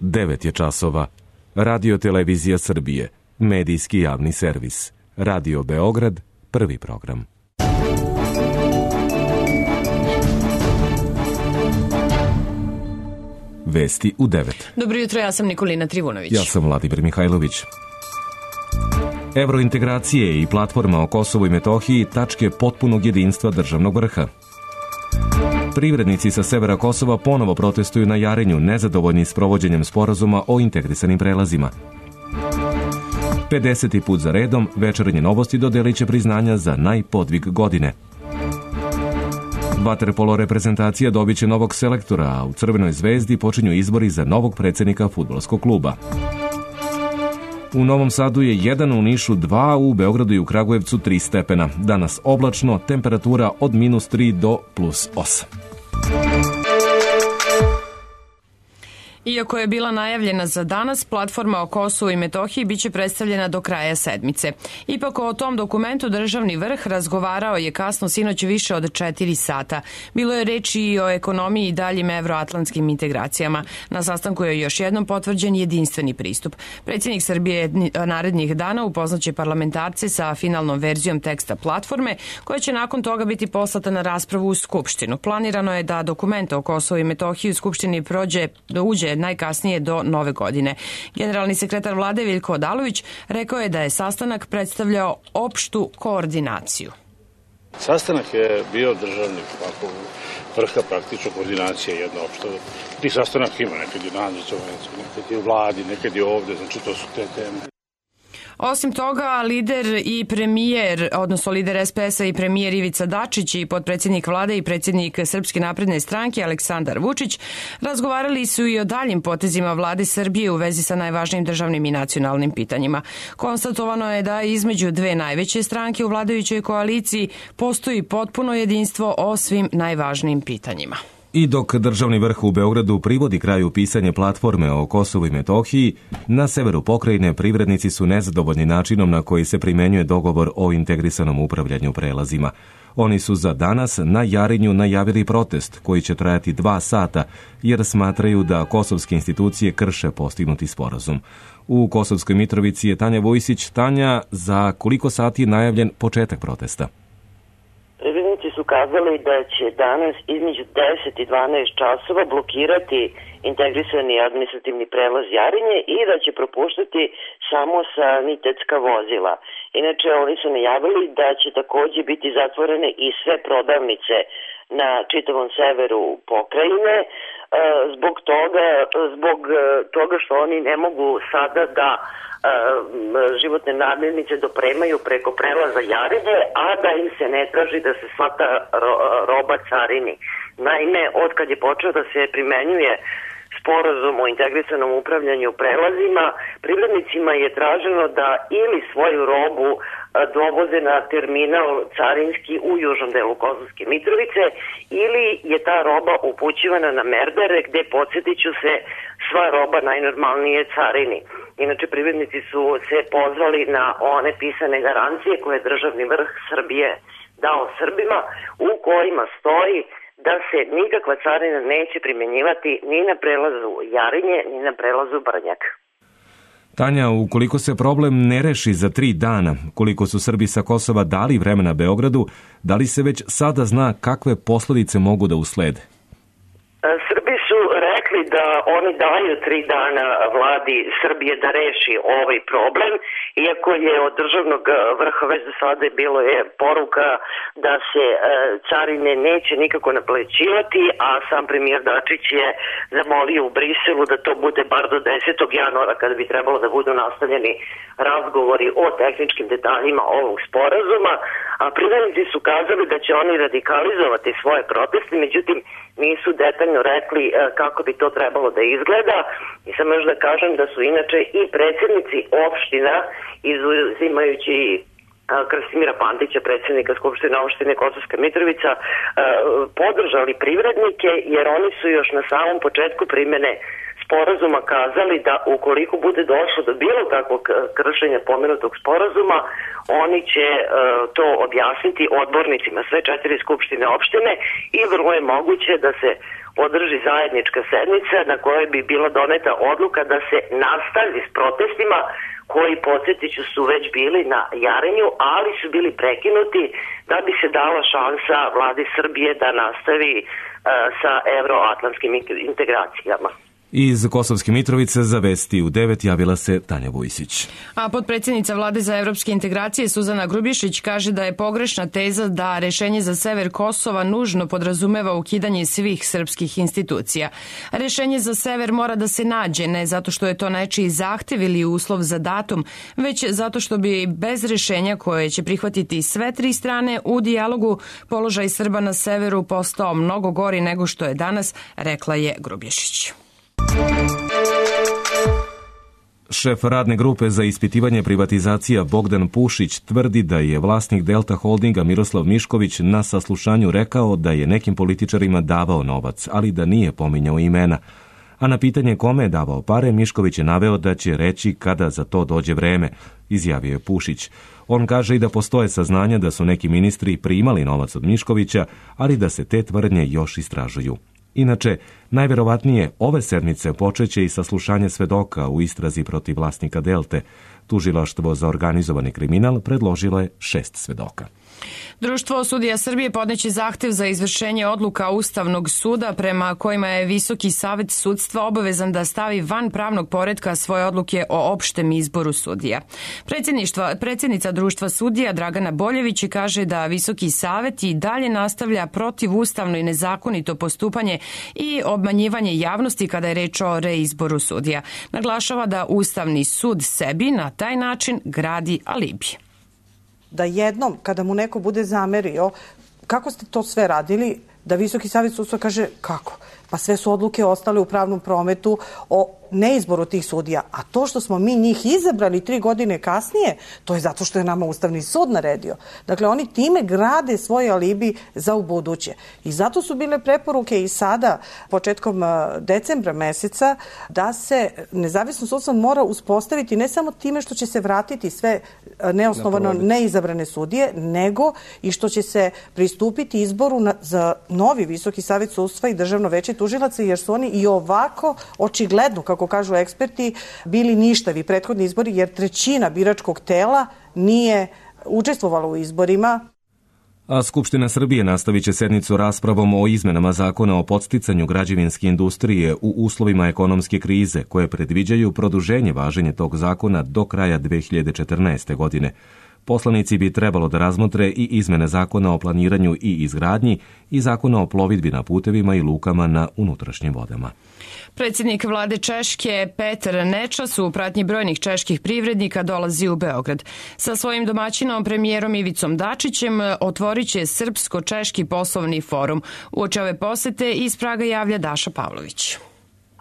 9 je časova. Radio Televizija Srbije, medijski javni servis. Radio Beograd, prvi program. Vesti u 9. Dobro jutro, ja sam Nikolina Trivunović. Ja sam Vladimir Mihajlović. Evrointegracije i platforma o Kosovu i Metohiji tačke potpunog jedinstva državnog vrha. Privrednici sa severa Kosova ponovo protestuju na Jarinju, nezadovoljni s provođenjem sporazuma o integrisanim prelazima. 50. put za redom Večernje novosti dodelit će priznanja za najpodvig godine. Vaterpolo reprezentacija dobit će novog selektora, a u Crvenoj zvezdi počinju izbori za novog predsednika fudbalskog kluba. U Novom Sadu je 1, u Nišu 2, u Beogradu i u Kragujevcu 3 stepena. Danas oblačno, temperatura od -3 do +8. Iako je bila najavljena za danas, platforma o Kosovu i Metohiji biće predstavljena do kraja sedmice. Ipak o tom dokumentu državni vrh razgovarao je kasno sinoć više od 4 sata. Bilo je reči i o ekonomiji i daljim evroatlantskim integracijama. Na sastanku je još jednom potvrđen jedinstveni pristup. Predsjednik Srbije narednih dana upoznaće parlamentarce sa finalnom verzijom teksta platforme, koja će nakon toga biti poslata na raspravu u Skupštinu. Planirano je da dokument o Kosovu i Metohiji u Skupštini uđe najkasnije do nove godine. Generalni sekretar vlade Veljko Odalović rekao je da je sastanak predstavljao opštu koordinaciju. Sastanak je bio državnih vrha, praktično koordinacija jedna opšta. Tih sastanak ima, nekad je nadzor, nekad je u vladi, nekad je ovde, znači to su te teme. Osim toga, lider i premijer, odnosno lider SPS-a i premijer Ivica Dačić i potpredsjednik vlade i predsjednik Srpske napredne stranke Aleksandar Vučić razgovarali su i o daljim potezima vlade Srbije u vezi sa najvažnijim državnim i nacionalnim pitanjima. Konstatovano je da između dve najveće stranke u vladajućoj koaliciji postoji potpuno jedinstvo o svim najvažnijim pitanjima. I dok državni vrh u Beogradu privodi kraju pisanje platforme o Kosovu i Metohiji, na severu pokrajine privrednici su nezadovoljni načinom na koji se primenjuje dogovor o integrisanom upravljanju prelazima. Oni su za danas na Jarinju najavili protest koji će trajati 2 sata, jer smatraju da kosovske institucije krše postignuti sporazum. U Kosovskoj Mitrovici je Tanja Vojsić. Tanja, za koliko sati je najavljen početak protesta? Privrednici su kazali da će danas između 10 i 12 časova blokirati integrisani administrativni prelaz Jarinje i da će propuštati samo sanitetska vozila. Inače, oni su najavili da će takođe biti zatvorene i sve prodavnice na čitavom severu pokrajine, zbog toga što oni ne mogu sada da životne namirnice dopremaju preko prelaza Jarinje, a da im se ne traži da se sva ta roba carini. Naime, od kad je počeo da se primenjuje sporazum o integrisanom upravljanju prelazima, privrednicima je traženo da ili svoju robu dovoze na terminal carinski u južnom delu Kosovske Mitrovice ili je ta roba upućivana na Merdare, gde, podsjetit ću se, sva roba najnormalnije carini. Inače, privrednici su se pozvali na one pisane garancije koje je državni vrh Srbije dao Srbima, u kojima stoji da se nikakva carina neće primjenjivati ni na prelazu Jarinje, ni na prelazu Brnjak. Tanja, ukoliko se problem ne reši za 3 dana, koliko su Srbi sa Kosova dali vremena Beogradu, da li se već sada zna kakve posledice mogu da uslede? Srbi su rekli da oni daju 3 dana vladi Srbije da reši ovaj problem, iako je od državnog vrha već do sada bilo je poruka da se carine neće nikako naplaćivati, a sam premijer Dačić je zamolio u Briselu da to bude bar do 10. januara kada bi trebalo da budu nastavljeni razgovori o tehničkim detaljima ovog sporazuma, a privrednici su kazali da će oni radikalizovati svoje proteste, međutim nisu detaljno rekli kako bi to trebalo da izgleda. I samo još da kažem da su inače i predsjednici opština, izuzimajući Krastimira Pantića, predsjednika Skupštine opštine Kosovska Mitrovica, podržali privrednike, jer oni su još na samom početku primjene sporazuma kazali da ukoliko bude došlo do bilo kakvog kršenja pomenutog sporazuma, oni će to objasniti odbornicima sve 4 skupštine opštine i vrlo je moguće da se održi zajednička sednica na kojoj bi bila doneta odluka da se nastavi s protestima koji, podsjetiću, su već bili na Jarinju, ali su bili prekinuti da bi se dala šansa vladi Srbije da nastavi sa evroatlantskim integracijama. Iz Kosovske Mitrovice za Vesti u 9 javila se Tanja Vujsić. A potpredsjednica Vlade za evropske integracije Suzana Grubješić kaže da je pogrešna teza da rešenje za sever Kosova nužno podrazumeva ukidanje svih srpskih institucija. Rešenje za sever mora da se nađe, ne zato što je to nečiji zahtev ili uslov za datum, već zato što bi bez rešenja koje će prihvatiti sve 3 strane u dijalogu položaj Srba na severu postao mnogo gori nego što je danas, rekla je Grubješić. Šef radne grupe za ispitivanje privatizacija Bogdan Pušić tvrdi da je vlasnik Delta Holdinga Miroslav Mišković na saslušanju rekao da je nekim političarima davao novac, ali da nije pominjao imena. A na pitanje kome je davao pare, Mišković je naveo da će reći kada za to dođe vreme, izjavio je Pušić. On kaže i da postoje saznanja da su neki ministri primali novac od Miškovića, ali da se te tvrdnje još istražuju. Inače, najverovatnije ove sedmice počeće i saslušanje svedoka u istrazi protiv vlasnika Delte. Tužilaštvo za organizovani kriminal predložilo je 6 svedoka. Društvo sudija Srbije podneće zahtev za izvršenje odluka Ustavnog suda prema kojima je Visoki savet sudstva obavezan da stavi van pravnog poretka svoje odluke o opštem izboru sudija. Predsjednica Društva sudija Dragana Boljević kaže da Visoki savet i dalje nastavlja protivustavno i nezakonito postupanje i obmanjivanje javnosti kada je reč o reizboru sudija. Naglašava da Ustavni sud sebi na taj način gradi alibi. Da jednom, kada mu neko bude zamerio, kako ste to sve radili, da Visoki savet sudstva kaže kako? Pa sve su odluke ostale u pravnom prometu o neizboru tih sudija. A to što smo mi njih izabrali 3 godine kasnije, to je zato što je nama Ustavni sud naredio. Dakle, oni time grade svoj alibi za ubuduće. I zato su bile preporuke i sada, početkom decembra meseca, da se nezavisno sudstvo mora uspostaviti ne samo time što će se vratiti sve neosnovano neizabrane sudije, nego i što će se pristupiti izboru za novi Visoki savet sudstva i Državno veće tužilaca, jer su oni i ovako očigledno, kako kažu eksperti, bili ništavi prethodni izbori, jer 1/3 biračkog tela nije učestvovalo u izborima. A Skupština Srbije nastavit će sednicu raspravom o izmenama zakona o podsticanju građevinske industrije u uslovima ekonomske krize, koje predviđaju produženje važenja tog zakona do kraja 2014. godine. Poslanici bi trebalo da razmotre i izmene zakona o planiranju i izgradnji i zakona o plovidbi na putevima i lukama na unutrašnjim vodama. Predsjednik vlade Češke Petar Nečas u pratnji brojnih čeških privrednika dolazi u Beograd. Sa svojim domaćinom premijerom Ivicom Dačićem otvorit će Srpsko-češki poslovni forum. Uoči ove posete iz Praga javlja Daša Pavlović.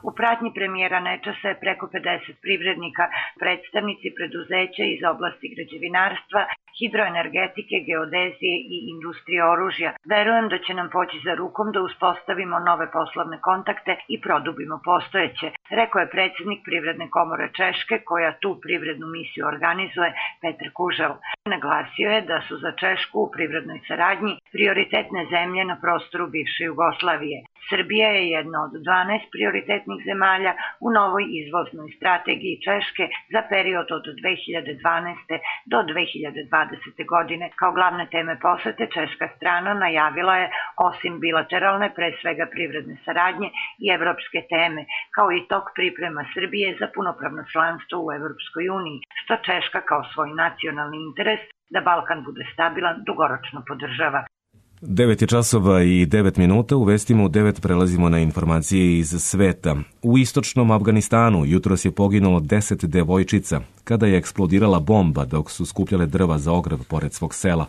U pratnji premijera Nečasa je preko 50 privrednika, predstavnici preduzeća iz oblasti građevinarstva, hidroenergetike, geodezije i industrije oružja. Verujem da će nam poći za rukom da uspostavimo nove poslovne kontakte i produbimo postojeće, rekao je predsjednik Privredne komore Češke, koja tu privrednu misiju organizuje, Petar Kužel. Naglasio je da su za Češku u privrednoj saradnji prioritetne zemlje na prostoru bivše Jugoslavije. Srbija je jedna od 12 prioritetnih zemalja u novoj izvoznoj strategiji Češke za period od 2012. do 2020. godine. Kao glavne teme posete češka strana najavila je, osim bilateralne, pre svega privredne saradnje i evropske teme, kao i tok priprema Srbije za punopravno članstvo u Evropskoj uniji, što Češka kao svoj nacionalni interes da Balkan bude stabilan dugoročno podržava. 9 časova i 9 minuta, u vestima u 9 prelazimo na informacije iz sveta. U istočnom Afganistanu jutros je poginulo 10 devojčica kada je eksplodirala bomba dok su skupljale drva za ograd pored svog sela.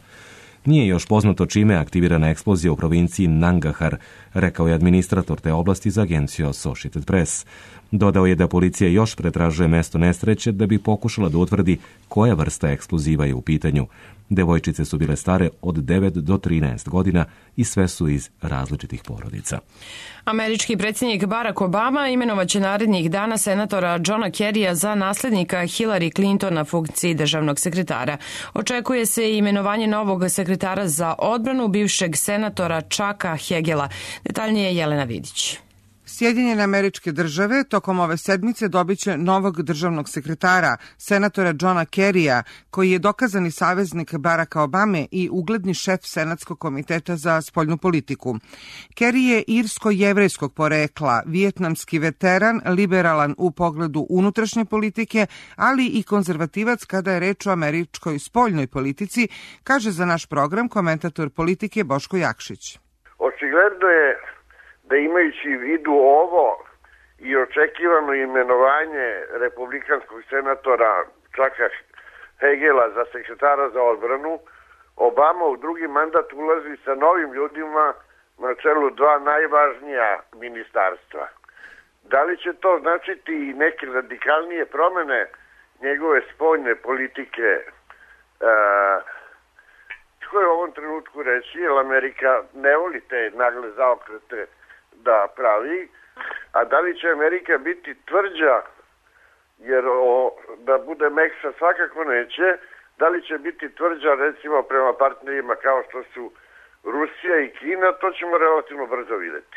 Nije još poznato čime je aktivirana eksplozija u provinciji Nangahar, rekao je administrator te oblasti za agenciju Associated Press. Dodao je da policija još pretražuje mesto nesreće da bi pokušala da utvrdi koja vrsta eksploziva je u pitanju. Devojčice su bile stare od 9 do 13 godina i sve su iz različitih porodica. Američki predsjednik Barack Obama imenovaće narednih dana senatora Johna Kerrya za naslednika Hillary Clinton na funkciji državnog sekretara. Očekuje se i imenovanje novog sekretara za odbranu, bivšeg senatora Chucka Hagela. Detaljnije je Jelena Vidić. Sjedinjene Američke Države tokom ove sedmice dobiće novog državnog sekretara, senatora Johna Kerrya, koji je dokazani saveznik Baracka Obame i ugledni šef Senatskog komiteta za spoljnu politiku. Kerry je irsko-jevrejskog porekla, vijetnamski veteran, liberalan u pogledu unutrašnje politike, ali i konzervativac kada je reč o američkoj spoljnoj politici, kaže za naš program komentator politike Boško Jakšić. Očigledno je da imajući u vidu ovo i očekivano imenovanje republikanskog senatora Chucka Hagela za sekretara za odbranu, Obama u drugi mandat ulazi sa novim ljudima na čelu dva najvažnija ministarstva. Da li će to značiti i neke radikalnije promene njegove spoljne politike? Tko je u ovom trenutku reći, jer Amerika ne voli te nagle zaokrete da pravi, a da li će Amerika biti tvrđa, jer da bude mekša svakako neće, da li će biti tvrđa recimo prema partnerima kao što su Rusija i Kina, to ćemo relativno brzo videti.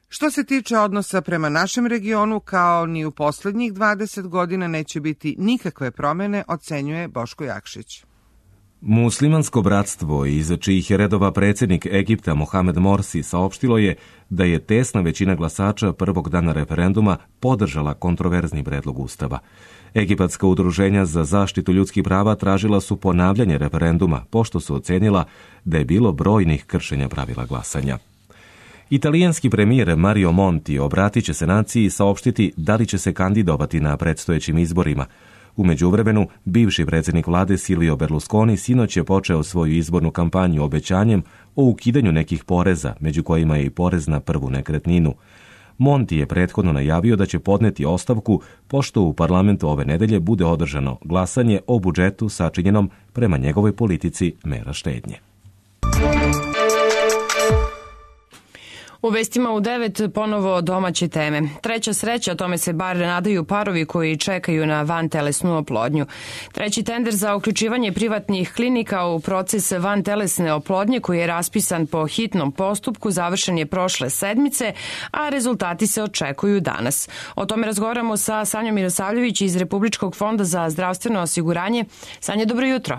Što se tiče odnosa prema našem regionu, kao ni u poslednjih 20 godina neće biti nikakve promene, ocenjuje Boško Jakšić. Muslimansko bratstvo, iz čijih je redova predsjednik Egipta Mohamed Morsi, saopštilo je da je tesna većina glasača prvog dana referenduma podržala kontroverzni predlog ustava. Egipatska udruženja za zaštitu ljudskih prava tražila su ponavljanje referenduma, pošto su ocenila da je bilo brojnih kršenja pravila glasanja. Italijanski premijer Mario Monti obratit će se naciji i saopštiti da li će se kandidovati na predstojećim izborima. U međuvremenu, bivši predsjednik vlade Silvio Berlusconi sinoć je počeo svoju izbornu kampanju obećanjem o ukidanju nekih poreza, među kojima je i porez na prvu nekretninu. Monti je prethodno najavio da će podneti ostavku, pošto u parlamentu ove nedelje bude održano glasanje o budžetu sačinjenom prema njegovoj politici mera štednje. U vestima u 9 ponovo domaće teme. Treća sreća, o tome se bar nadaju parovi koji čekaju na vantelesnu oplodnju. Treći tender za uključivanje privatnih klinika u proces vantelesne oplodnje koji je raspisan po hitnom postupku završen je prošle sedmice, a rezultati se očekuju danas. O tome razgovaramo sa Sanjom Mirosavljević iz Republičkog fonda za zdravstveno osiguranje. Sanja, dobro jutro.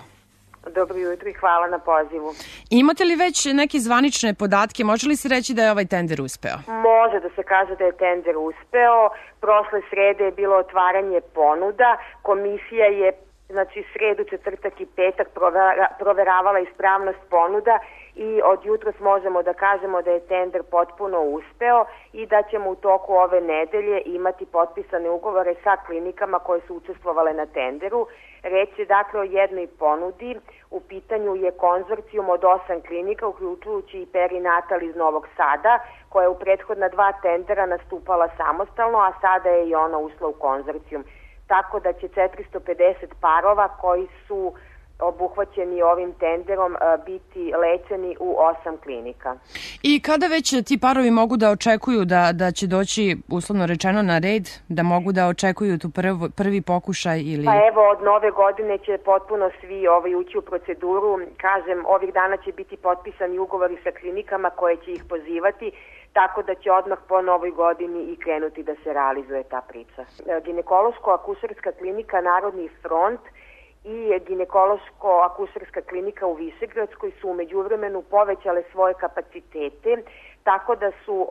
Dobro jutro i hvala na pozivu. Imate li već neke zvanične podatke? Može li se reći da je ovaj tender uspeo? Može da se kaže da je tender uspeo. Prošle srede je bilo otvaranje ponuda. Komisija je sredu, četvrtak i petak proveravala ispravnost ponuda i od jutros možemo da kažemo da je tender potpuno uspeo i da ćemo u toku ove nedelje imati potpisane ugovore sa klinikama koje su učestvovale na tenderu. Reč je dakle o jednoj ponudi. U pitanju je konzorcijum od 8 klinika, uključujući i perinatal iz Novog Sada, koja je u prethodna 2 tendera nastupala samostalno, a sada je i ona ušla u konzorcijum. Tako da će 450 parova koji su obuhvaćeni ovim tenderom biti lečeni u 8 klinika. I kada već ti parovi mogu da očekuju da će doći, uslovno rečeno, na red, da mogu da očekuju tu prvi pokušaj ili... Pa evo, od nove godine će potpuno svi ući u proceduru. Kažem, ovih dana će biti potpisani ugovori sa klinikama koje će ih pozivati, tako da će odmah po novoj godini i krenuti da se realizuje ta priča. Ginekološko-akušerska klinika Narodni front i ginekološko-akušerska klinika u Višegradskoj su u međuvremenu povećale svoje kapacitete, tako da su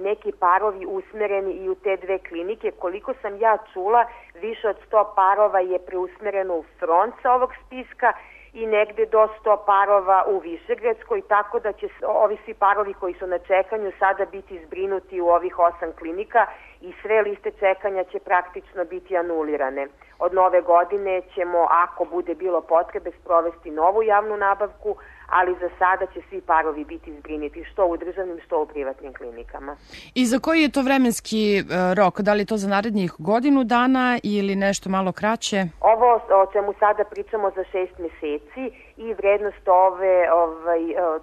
neki parovi usmereni i u te 2 klinike. Koliko sam ja čula, više od 100 parova je preusmereno u front sa ovog spiska i negde do 100 parova u Višegradskoj, tako da će ovi svi parovi koji su na čekanju sada biti zbrinuti u ovih 8 klinika i sve liste čekanja će praktično biti anulirane. Od nove godine ćemo, ako bude bilo potrebe, sprovesti novu javnu nabavku, ali za sada će svi parovi biti zbriniti što u državnim, što u privatnim klinikama. I za koji je to vremenski rok? Da li je to za narednih godinu dana ili nešto malo kraće? Ovo o čemu sada pričamo za 6 meseci i vrednost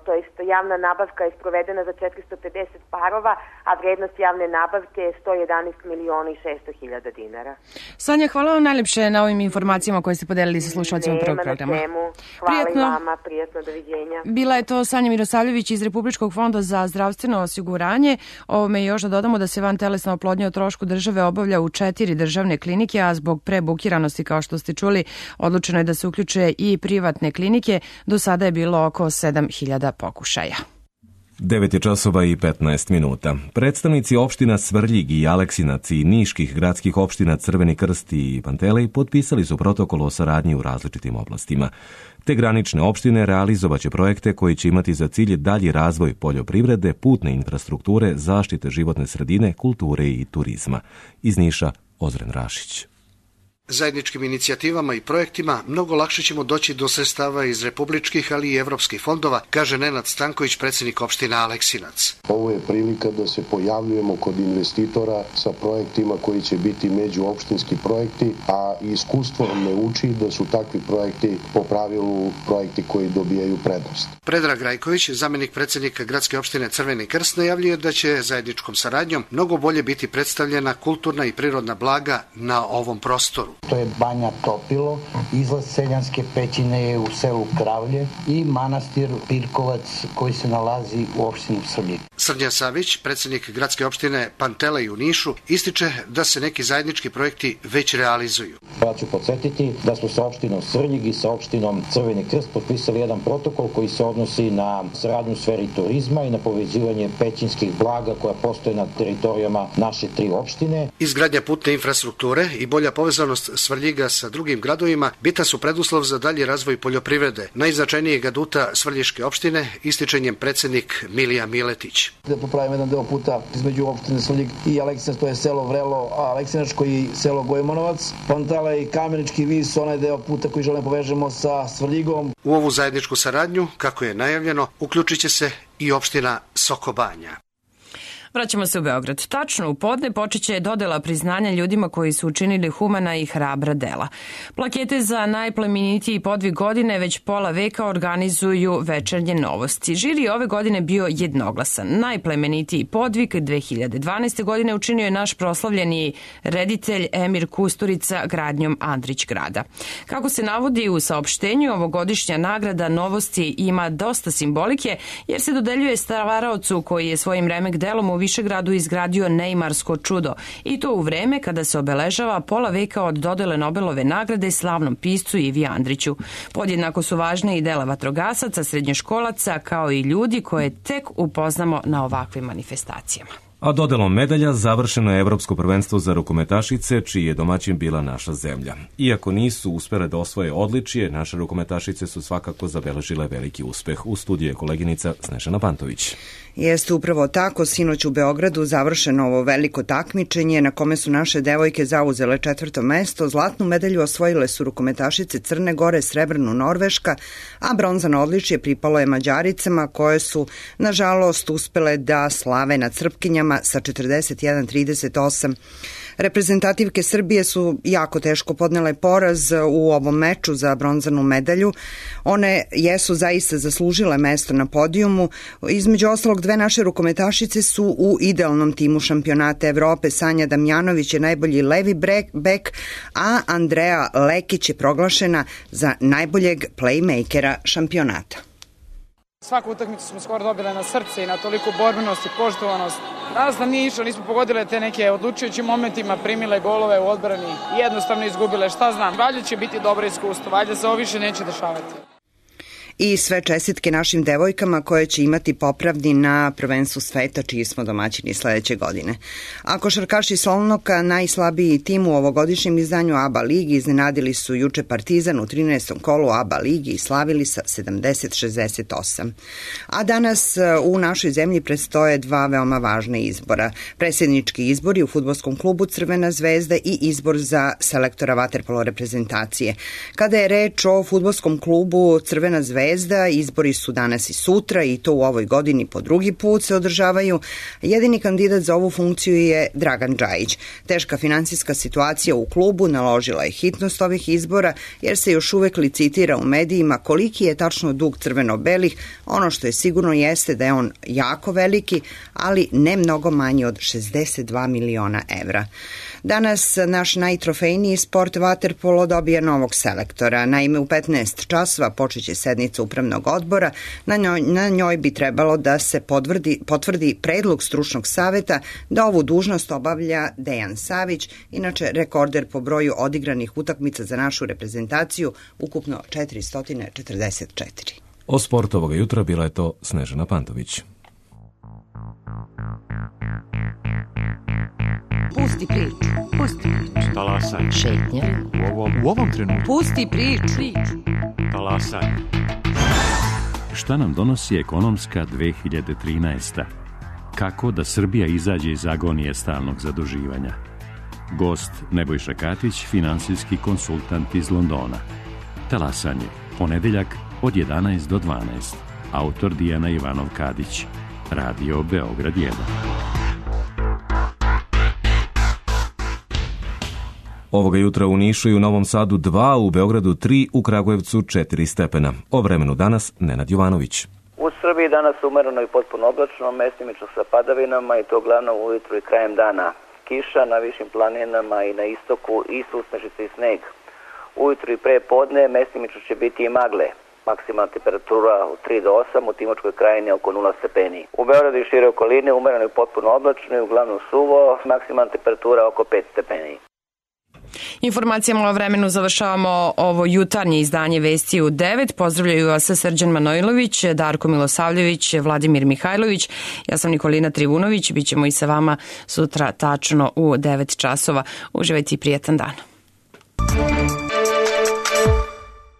to jest javna nabavka je sprovedena za 450 parova, a vrednost javne nabavke je 111 miliona i 600 hiljada dinara. Sanja, hvala vam najljepše na ovim informacijama koje ste podelili sa slušalcima prvog programa. Nema na čemu. Hvala i vama, prijatno, doviđenja. Bila je to Sanja Mirosavljević iz Republičkog fonda za zdravstveno osiguranje. Ovome još da dodamo da se vantelesna oplodnja o trošku države obavlja u 4 državne klinike, a zbog prebukiranosti, kao što ste čuli, odlučeno je da se uključe i privatne klinike. Do sada je bilo oko 7.000 pokušaja. 9:15. Predstavnici opština Svrljig i Aleksinac i niških gradskih opština Crveni krst i Pantelej potpisali su protokol o saradnji u različitim oblastima. Te granične opštine realizovaće projekte koji će imati za cilj dalji razvoj poljoprivrede, putne infrastrukture, zaštite životne sredine, kulture i turizma. Iz Niša, Ozren Rašić. Zajedničkim inicijativama i projektima mnogo lakše ćemo doći do sredstava iz republičkih, ali i evropskih fondova, kaže Nenad Stanković, predsjednik opštine Aleksinac. Ovo je prilika da se pojavljujemo kod investitora sa projektima koji će biti međuopštinski projekti, a iskustvo ne uči da su takvi projekti po pravilu projekti koji dobijaju prednost. Predrag Rajković, zamjenik predsjednika gradske opštine Crveni krst, najavljuje da će zajedničkom saradnjom mnogo bolje biti predstavljena kulturna i prirodna blaga na ovom prostoru. To je Banja Topilo, izlaz Seljanske pećine je u selu Kravlje i manastir Pirkovac koji se nalazi u opštini Svrljig. Srđan Savić, predsjednik gradske opštine Pantelej u Nišu, ističe da se neki zajednički projekti već realizuju. Ja ću podsjetiti da smo sa opštinom Svrljig i sa opštinom Crveni krst potpisali jedan protokol koji se odnosi na saradnju u sferi turizma i na povezivanje pećinskih blaga koja postoje na teritorijama naše 3 opštine. Izgradnja putne infrastrukture i bolja povezanost Svrljiga sa drugim gradovima bitan su preduslov za dalji razvoj poljoprivrede. Najznačajnijeg aduta Svrljiške opštine ističe njen predsjednik Milija Miletić. Da popravimo jedan deo puta između opštine Svrljig i Aleksinac, to je selo Vrelo, a Aleksinačko i selo Gojmanovac. Pantelej i Kamenički vis, onaj deo puta koji želimo povežemo sa Svrljigom. U ovu zajedničku saradnju, kako je najavljeno, uključit će se i opština Sokobanja. Vraćamo se u Beograd. Tačno u podne počeće dodela priznanja ljudima koji su učinili humana i hrabra dela. Plakete za najplemenitiji podvig godine već pola veka organizuju Večernje novosti. Žiri ove godine bio jednoglasan. Najplemenitiji podvig 2012. godine učinio je naš proslavljeni reditelj Emir Kusturica gradnjom Andrić grada. Kako se navodi u saopštenju, ovogodišnja nagrada novosti ima dosta simbolike jer se dodeljuje stvaraocu koji je svojim remek delom u Višegradu izgradio neimarsko čudo i to u vreme kada se obeležava pola veka od dodele Nobelove nagrade slavnom piscu Ivi Andriću. Podjednako su važne i dela vatrogasaca, srednjoškolaca kao i ljudi koje tek upoznamo na ovakvim manifestacijama. A dodelom medalja završeno je Evropsko prvenstvo za rukometašice, čiji je domaćin bila naša zemlja. Iako nisu uspele da osvoje odličje, naše rukometašice su svakako zabeležile veliki uspeh. U studiju je koleginica Snežana Pantović. Jeste upravo tako, sinoć u Beogradu završeno ovo veliko takmičenje na kome su naše devojke zauzele 4. mesto. Zlatnu medalju osvojile su rukometašice Crne Gore, srebrnu Norveška, a bronzano odličje pripalo je Mađaricama koje su, nažalost, uspele da slave nad Srpkinjama sa 41-38. Reprezentativke Srbije su jako teško podnele poraz u ovom meču za bronzanu medalju. One jesu zaista zaslužile mesto na podijumu. Između ostalog, dve naše rukometašice su u idealnom timu šampionata Evrope. Sanja Damjanović je najbolji levi bek, a Andreja Lekić je proglašena za najboljeg playmakera šampionata. Svaku utakmicu smo skoro dobile na srce i na toliko borbenost i poštovanost. Danas nam nije išlo, nismo pogodile te neke odlučujućim momentima, primile golove u odbrani i jednostavno izgubile, šta znam. Valjda će biti dobro iskustvo, valjda se ovo više neće dešavati. I sve čestitke našim devojkama koje će imati popravni na prvenstvu sveta, čiji smo domaćini sledeće godine. A košarkaši Solnoka, najslabiji tim u ovogodišnjem izdanju ABA ligi, iznenadili su juče Partizan u 13. kolu ABA ligi i slavili sa 70-68. A danas u našoj zemlji predstoje dva veoma važna izbora. Predsjednički izbori u fudbalskom klubu Crvena zvezda i izbor za selektora vaterpolo reprezentacije. Kada je reč o fudbalskom klubu Crvena zvezda, Zvezda. Izbori su danas i sutra i to u ovoj godini po drugi put se održavaju. Jedini kandidat za ovu funkciju je Dragan Džajić. Teška finansijska situacija u klubu naložila je hitnost ovih izbora jer se još uvek licitira u medijima koliki je tačno dug crveno-belih. Ono što je sigurno jeste da je on jako veliki, ali ne mnogo manji od 62 miliona evra. Danas naš najtrofejniji sport vaterpolo dobija novog selektora. Naime, u 15 časova počeće sednica upravnog odbora. Na njoj bi trebalo da se potvrdi predlog stručnog saveta da ovu dužnost obavlja Dejan Savić, inače rekorder po broju odigranih utakmica za našu reprezentaciju, ukupno 444. O sportu ovoga jutra bila je to Snežana Pantović. Pusti priču. Pusti priču. Talasaj. Šetnja. U ovom trenutku. Pusti priču. Talasaj. Šta nam donosi ekonomska 2013. Kako da Srbija izađe iz agonije stalnog zaduživanja? Gost Nebojša Katić, finansijski konsultant iz Londona. Talasanje. Ponedeljak od 11 do 12. Autor Dijana Ivanov-Kadić. Radio Beograd 1. Ovoga jutra u Nišu i u Novom Sadu 2, u Beogradu 3, u Kragujevcu 4 stepena. O vremenu danas Nenad Jovanović. U Srbiji danas umereno i potpuno oblačno, mestimično sa padavinama i to uglavnom ujutru i krajem dana. Kiša na višim planinama i na istoku i susnežice i sneg. Ujutru i pre podne mestimično će biti i magle. Maksimalna temperatura od 3 do 8, u Timočkoj krajini oko 0 stepeni. U Beogradu i šire okoline umereno i potpuno oblačno i uglavnom suvo, maksimalna temperatura oko 5 stepeni. Informacijama o vremenu završavamo ovo jutarnje izdanje Vesti u 9. Pozdravljaju vas Srđan Manojlović, Darko Milosavljević, Vladimir Mihajlović. Ja sam Nikolina Trivunović. Bićemo i sa vama sutra tačno u 9 časova. Uživajte i prijetan dan.